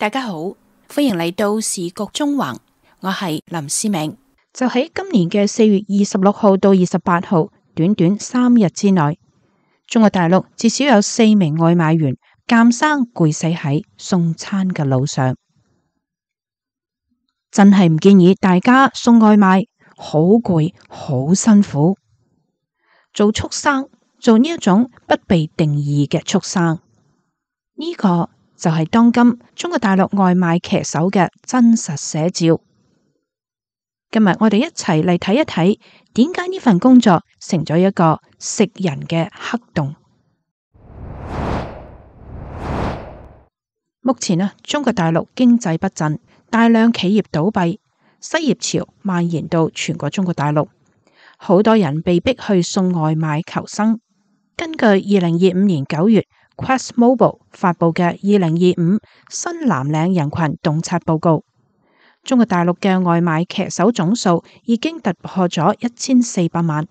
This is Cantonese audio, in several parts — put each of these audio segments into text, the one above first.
大家好，歡迎嚟到時局中橫，我係林思明。就喺今年嘅4月26號到28號，短短3日之內，中國大陸至少有4名外賣員監生攰死喺送餐嘅路上。真係唔建議大家送外賣，好攰，好辛苦。做畜生，做呢一種不被定義嘅畜生，呢個就係當今中國大陸外賣騎手嘅真實寫照。今日我哋一齊嚟睇一睇，點解呢份工作成咗一個食人嘅黑洞。目前中國大陸經濟不振，大量企業倒閉，失業潮蔓延到全國中國大陸，好多人被逼去送外賣求生。根據2025年9月Quest Mobile 發佈嘅2025新藍領人群洞察報告，中國大陸嘅外賣騎手總數已經突破咗1400萬。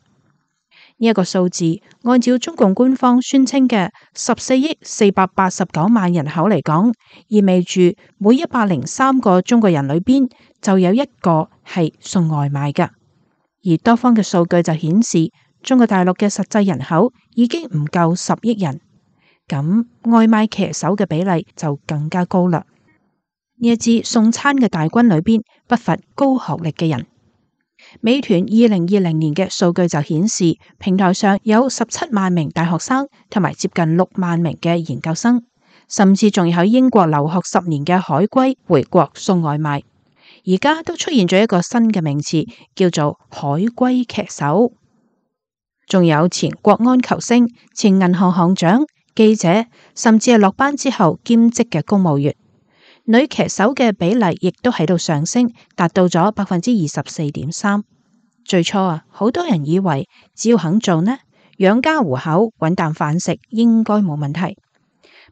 呢一個數字，按照中共官方宣稱嘅14億489萬人口嚟講，意味住每103個中國人裏邊就有一個係送外賣㗎。而多方嘅數據就顯示，中國大陸嘅實際人口已經唔夠10億人，咁外賣騎手嘅比例就更加高啦。呢一支送餐嘅大軍裏邊不乏高學歷嘅人。美團2020年嘅數據就顯示，平台上有17萬名大學生同埋接近6萬名嘅研究生，甚至仲有喺英國留學10年嘅海歸回國送外賣。而家都出現咗一個新嘅名詞，叫做海歸騎手。仲有前國安球星、前銀行行長、記者，甚至係落班之後兼職嘅公務員。女騎手嘅比例亦都喺度上升，達到咗24.3%。最初好多人以為只要肯做呢，養家糊口、搵啖飯食應該冇問題。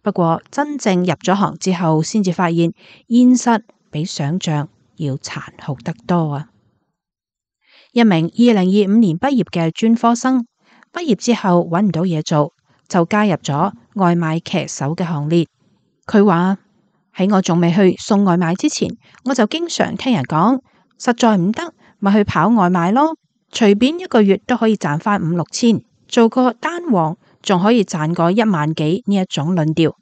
不過真正入咗行之後，先至發現現實比想象要殘酷得多啊！一名2025年畢業嘅專科生，畢業之後搵唔到嘢做，就加入咗外賣騎手嘅行列。佢話：喺我仲未去送外賣之前，我就經常聽人講，實在唔得咪去跑外賣咯，隨便一個月都可以賺返5、6千，做個單王仲可以賺個1萬幾呢一種論調。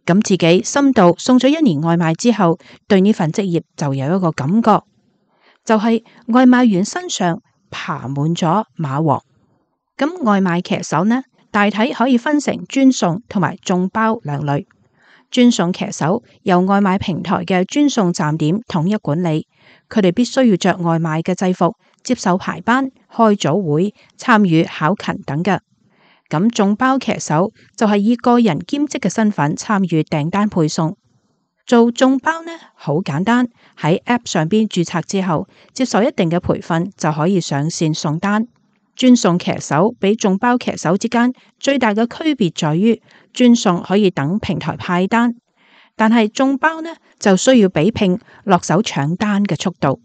咁自己深度送咗1年外賣之後，對呢份職業就有一個感覺，就係外賣員身上爬滿咗馬王。咁外賣騎手呢，大體可以分成專送同埋眾包兩類。專送騎手由外賣平台嘅專送站點統一管理，佢哋必須要着外賣嘅制服，接受排班、開組會、參與考勤等嘅。咁眾包騎手就係以個人兼職嘅身份參與訂單配送。做眾包呢，好簡單，喺 App 上邊註冊之後，接受一定嘅培訓就可以上線送單。專送騎手比眾包騎手之間最大嘅區別在於，專送可以等平台派單，但係眾包呢就需要比拼落手搶單嘅速度。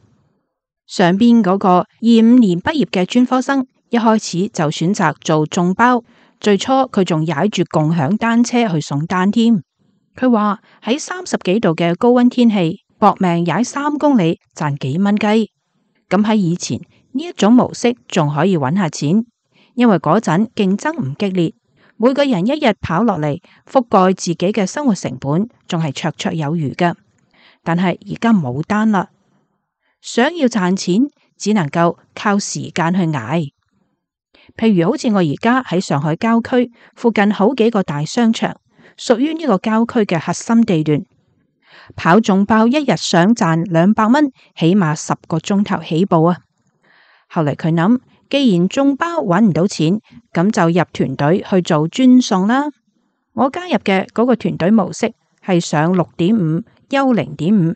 上邊嗰個25年畢業嘅專科生，一開始就選擇做眾包，最初佢仲踩住共享單車去送單添。佢話喺30幾度嘅高溫天氣，搏命踩3公里賺幾蚊雞。咁喺以前呢一種模式仲可以揾下錢，因為嗰陣競爭唔激烈，每個人一日跑落嚟覆蓋自己嘅生活成本，仲係綽綽有餘㗎。但係而家冇單啦，想要賺錢只能夠靠時間去捱。譬如好似我而家喺上海郊區附近好幾個大商場，屬於呢個郊區嘅核心地段，跑眾包一日想賺200蚊，起碼10個鐘頭起步啊！後嚟佢諗，既然眾包揾唔到錢，咁就入團隊去做專送啦。我加入嘅嗰個團隊模式係上6.5休0.5，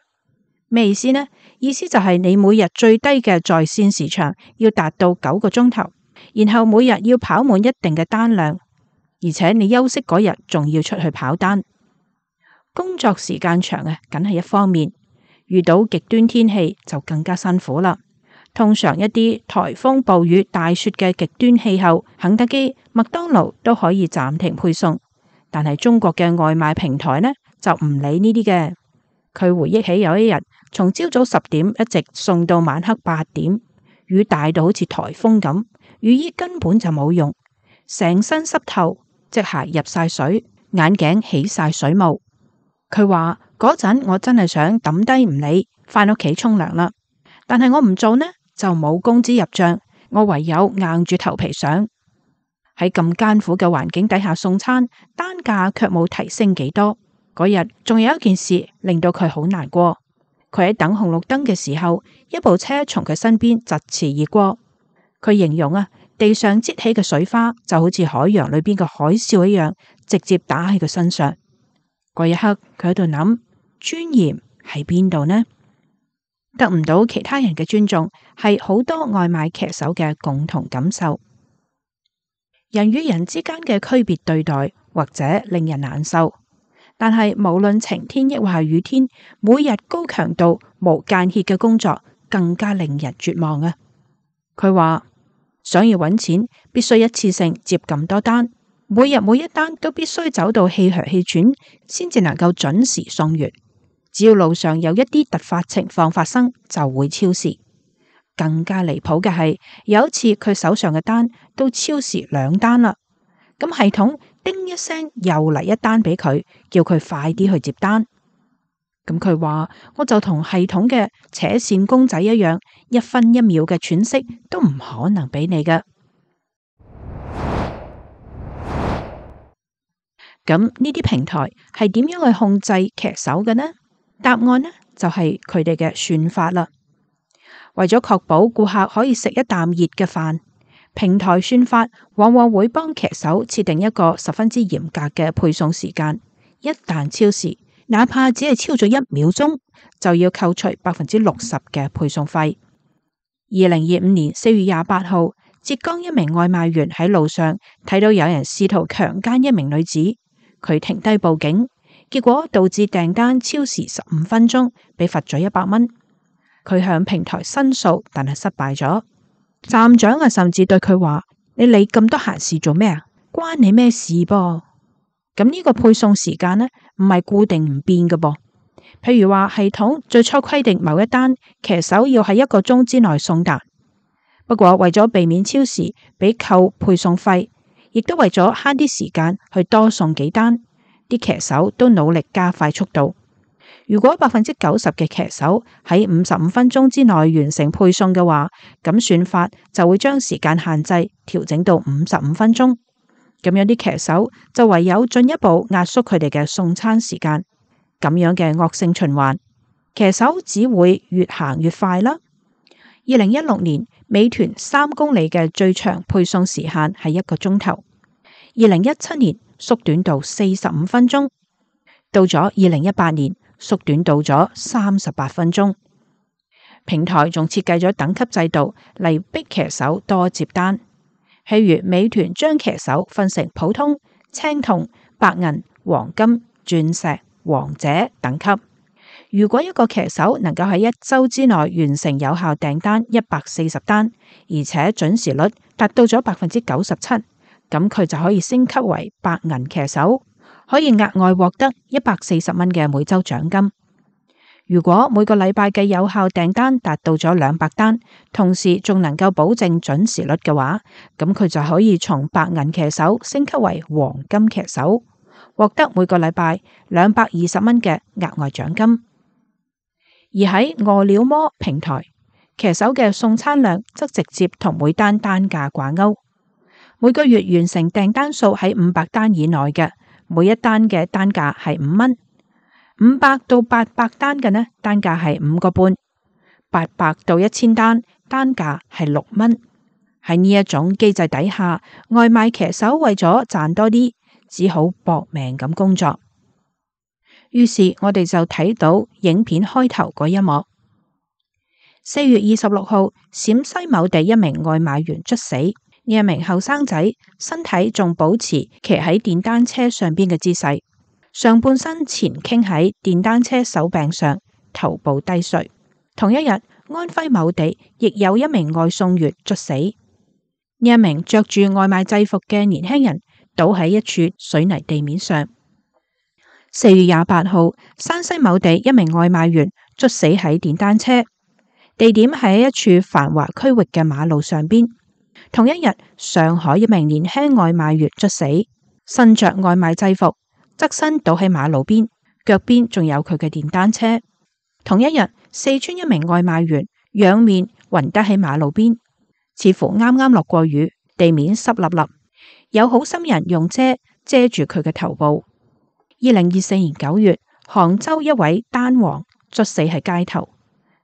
咩意思呢？意思就係你每日最低嘅在線時長要達到9個鐘頭，然後每日要跑滿一定嘅單量，而且你休息嗰日仲要出去跑單。工作時間長梗係一方面，遇到極端天氣就更加辛苦啦。通常一啲颱風、暴雨、大雪嘅極端氣候，肯德基、麥當勞都可以暫停配送，但係中國嘅外賣平台呢就唔理呢啲嘅，佢回憶起有一日從朝早10點一直送到晚黑8點，雨大到好似颱風咁，雨衣根本就冇用，成身濕透，隻鞋入晒水，眼鏡起晒水霧。佢話嗰陣我真係想抌低唔理，返屋企沖涼啦，但係我唔做呢就冇工資入賬，我唯有硬住頭皮上。喺咁艱苦嘅環境底下送餐，單價卻冇提升幾多。嗰日仲有一件事令到佢好難過，佢喺等紅綠燈嘅時候，一部車從佢身邊疾馳而過。佢形容地上擠起嘅水花就好似海洋裏邊嘅海嘯一樣，直接打喺佢身上。嗰一刻佢喺度諗，尊嚴喺邊度呢？得唔到其他人嘅尊重，係好多外賣騎手嘅共同感受。人與人之間嘅區別對待，或者令人難受，但係無論晴天抑或係雨天，每日高強度無間歇嘅工作更加令人絕望啊！佢話想要揾錢，必須一次性接咁多單，每日每一單都必須走到氣噓氣喘，先至能夠準時送完。只要路上有一啲突發情況發生，就會超時。更加離譜嘅係，有一次佢手上嘅單都超時2單啦，咁系統叮一聲又嚟一單俾佢，叫佢快啲去接單。咁佢話我就同系統嘅扯線公仔一樣，1分1秒嘅喘息都唔可能俾你嘅。咁呢啲平台係點樣去控制騎手嘅呢？答案呢就係佢哋嘅算法啦。為咗確保顧客可以食一啖熱嘅飯，平台算法往往會幫騎手設定一個十分之嚴格嘅配送時間。一旦超時，哪怕只係超咗1秒鐘，就要扣除60%嘅配送費。2025年4月28號，浙江一名外賣員喺路上睇到有人試圖強姦一名女子，佢停低報警，結果導致訂單超時15分鐘，被罰咗100蚊。佢向平台申訴，但係失敗咗。站長甚至對佢話：你理咁多閒事做咩啊？關你咩事噃？咁呢個配送時間呢，唔係固定唔變嘅噃。譬如話系統最初規定某一單騎手要喺1個鐘之內送達，不過為咗避免超時俾扣配送費，亦都為咗慳啲時間去多送幾單，啲騎手都努力加快速度。如果90%嘅騎手喺55分鐘之內完成配送嘅話，咁算法就會將時間限制調整到55分鐘。咁樣啲騎手就唯有進一步壓縮佢哋嘅送餐時間。咁樣嘅惡性循環，騎手只會越行越快啦。2016年，美團3公里嘅最長配送時限係1個鐘頭。2017年縮短到45分鐘，到咗2018年。縮短到咗38分鐘。平台仲設計咗等級制度嚟逼騎手多接單，譬如美團將騎手分成普通、青銅、白銀、黃金、鑽石、王者等級。如果一個騎手能夠喺1周之內完成有效訂單140單，而且準時率達到咗97%，咁佢就可以升級為白銀騎手，可以額外獲得140蚊嘅每周獎金。如果每個禮拜嘅有效訂單達到咗200單，同時仲能夠保證準時率嘅話，咁佢就可以從白銀騎手升級為黃金騎手，獲得每個禮拜220蚊嘅額外獎金。而喺餓了麼平台，騎手嘅送餐量則直接同每單單價掛鈎，每個月完成訂單數喺500單以內嘅，每一單嘅單價係5蚊；500到800單嘅呢，單價係5個半；800到1000單，單價係6蚊。喺呢一種機制底下，外賣騎手為咗賺多啲，只好搏命咁工作。於是我哋就睇到影片開頭嗰一幕。4月26號，陝西某地一名外賣員猝死。呢一名後生仔身體仲保持騎喺電單車上邊嘅姿勢，上半身前傾喺電單車手柄上，頭部低垂。同一日，安徽某地亦有一名外送員猝死。呢一名着住外賣制服嘅年輕人倒喺一處水泥地面上。4月28號，山西某地一名外賣員猝死喺電單車，地點喺一處繁華區域嘅馬路上邊。同一日，上海一名年輕外賣員猝死，身着外賣制服，側身倒喺馬路邊，腳邊仲有佢嘅電單車。同一日，四川一名外賣員仰面暈低喺馬路邊，似乎啱啱落過雨，地面濕立立，有好心人用遮住佢嘅頭部。2024年9月，杭州一位單王猝死喺街頭，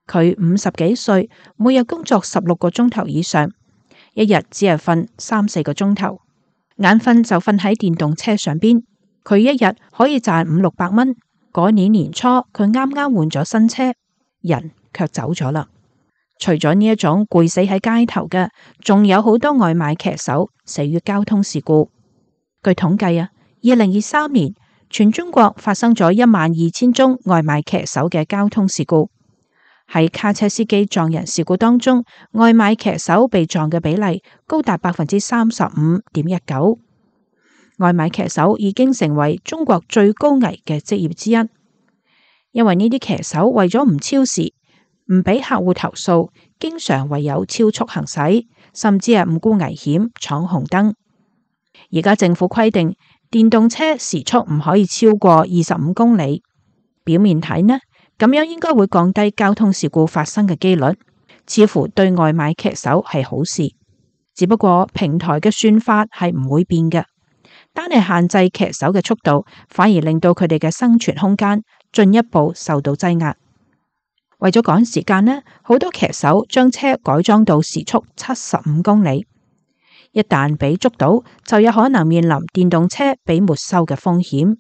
佢50幾歲，每日工作16個鐘頭以上，一日只係瞓3-4個鐘頭，眼瞓就瞓喺電動車上邊。佢一日可以賺500-600蚊。嗰年年初，佢啱啱換咗新車，人卻走咗啦。除咗呢一種攰死喺街頭嘅，仲有好多外賣騎手死於交通事故。據統計2023年全中國發生咗12000宗外賣騎手嘅交通事故。喺卡車司機撞人事故當中，外賣騎手被撞嘅比例高達35.19%。外賣騎手已經成為中國最高危嘅職業之一，因為呢啲騎手為咗唔超時，唔俾客戶投訴，經常唯有超速行駛，甚至係唔顧危險闖紅燈。而家政府規定電動車時速唔可以超過25公里，表面睇呢，咁樣應該會降低交通事故發生嘅幾率，似乎對外賣騎手係好事。只不過平台嘅算法係唔會變嘅。單係限制騎手嘅速度，反而令到佢哋嘅生存空間進一步受到擠壓。為咗趕時間呢，好多騎手將車改裝到時速75公里，一旦被捉到，就有可能面臨電動車被沒收嘅風險。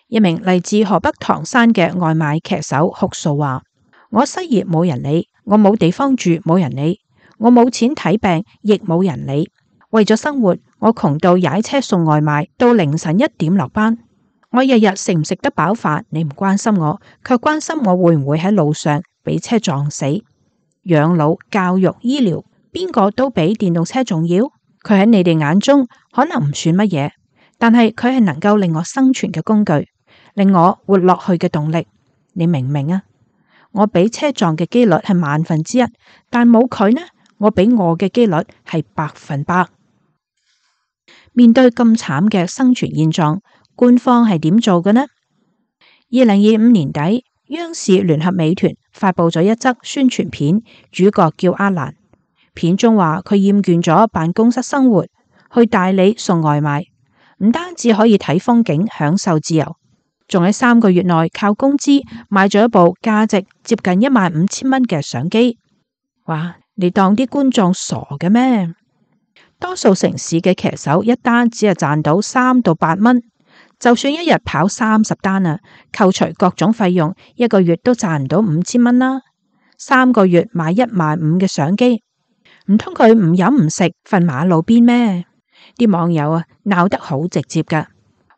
一名嚟自河北唐山嘅外賣騎手哭訴話：我失業冇人理，我冇地方住冇人理，我冇錢睇病亦冇人理。為咗生活，我窮到踩車送外賣，到凌晨1點落班。我日日食唔食得飽飯，你唔關心我，卻關心我會唔會喺路上俾車撞死。養老、教育、醫療，邊個都比電動車重要。佢喺你哋眼中可能唔算乜嘢，但係佢係能夠令我生存嘅工具，令我活落去嘅動力。你明唔明啊？我俾車撞嘅幾率係1/1000，但冇佢呢，我俾我嘅幾率係100%。面對咁慘嘅生存現狀，官方係點做嘅呢？2025年底，央視聯合美團發佈咗一則宣傳片，主角叫阿蘭。片中話佢厭倦咗辦公室生活，去大理送外賣，唔單止可以睇風景享受自由，仲喺3個月內靠工資買咗一部價值接近15000蚊嘅相機。哇！你當啲觀眾傻嘅咩？多數城市嘅騎手一單只係賺到3到8蚊，就算一日跑30單啊，扣除各種費用，一個月都賺唔到5000蚊啦。3個月買15000嘅相機，唔通佢唔飲唔食瞓馬路邊咩？啲網友鬧得好直接噶，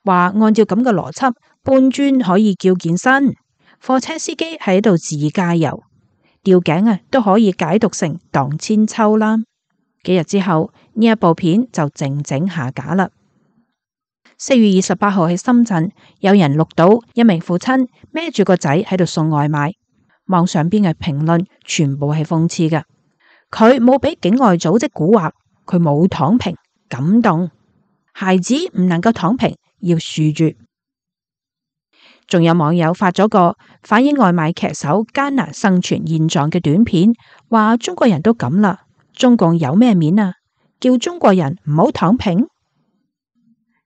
話按照咁嘅邏輯，搬磚可以叫健身，貨車司機喺度自駕遊，吊頸都可以解讀成蕩千秋啦。幾日之後，呢一部片就靜靜下架啦。4月28號喺深圳，有人錄到一名父親孭住個仔喺度送外賣，網上邊嘅評論全部係諷刺嘅。佢冇俾境外組織蠱惑，佢冇躺平，感動。孩子唔能夠躺平，要豎住。仲有網友發咗個反映外賣騎手艱難生存現狀嘅短片，話中國人都咁啦。中共有咩面啊？叫中國人唔好躺平？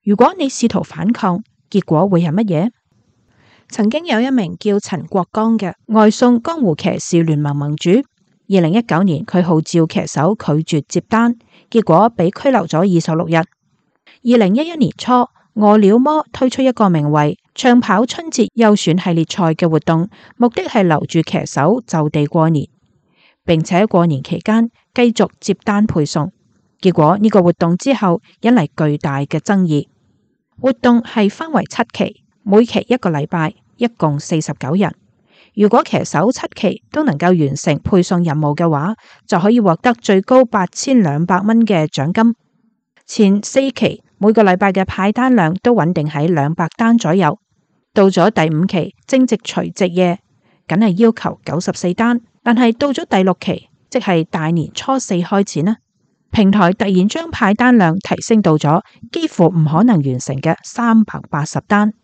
如果你試圖反抗，結果會係乜嘢？曾經有一名叫陳國剛嘅外送江湖騎士聯盟盟主，2019年佢號召騎手拒絕接單，結果被拘留咗26日。2011年初，餓了麼推出一個名為長跑春節優選系列賽嘅活動，目的係留住騎手就地過年，並且過年期間繼續接單配送。結果呢個活動之後引嚟巨大嘅爭議。活動係分為7期，每期1個禮拜，一共49日。如果騎手7期都能夠完成配送任務嘅話，就可以獲得最高8200蚊嘅獎金。前4期每個禮拜嘅派單量都穩定喺200單左右，到咗第5期正值除夕夜，梗係要求94單，但係到咗第6期，即係大年初4開始呢，平台突然將派單量提升到咗幾乎唔可能完成嘅380單。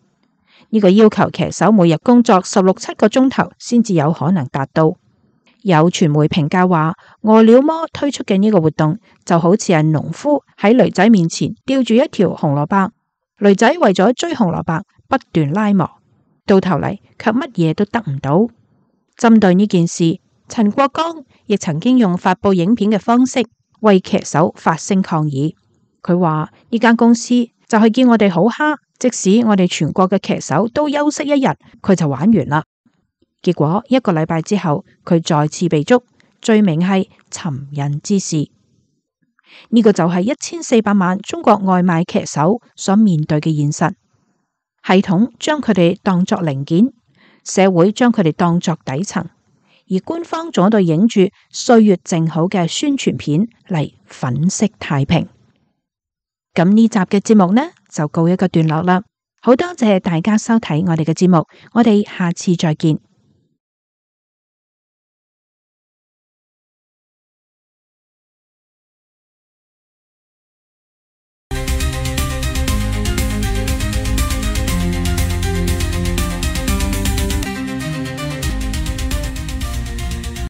呢個要求騎手每日工作16-17個鐘頭先至有可能達到。有傳媒評價話，餓了麼推出嘅呢個活動就好似係農夫喺驢仔面前吊住一條紅蘿蔔，驢仔為咗追紅蘿蔔不斷拉磨，到頭嚟卻乜嘢都得唔到。針對呢件事，陳國剛亦曾經用發佈影片嘅方式為騎手發聲抗議。佢話呢間公司就係叫我哋好蝦，即使我哋全國嘅騎手都休息1日，佢就玩完啦。結果1個禮拜之後，佢再次被捉，罪名係尋釁滋事。呢個就係1400萬中國外賣騎手所面對嘅現實。系統將佢哋當作零件，社會將佢哋當作底層，而官方仲喺度影住歲月靜好嘅宣傳片嚟粉飾太平。咁呢集嘅節目呢就告一個段落啦。好多謝大家收睇我哋嘅節目，我哋下次再見。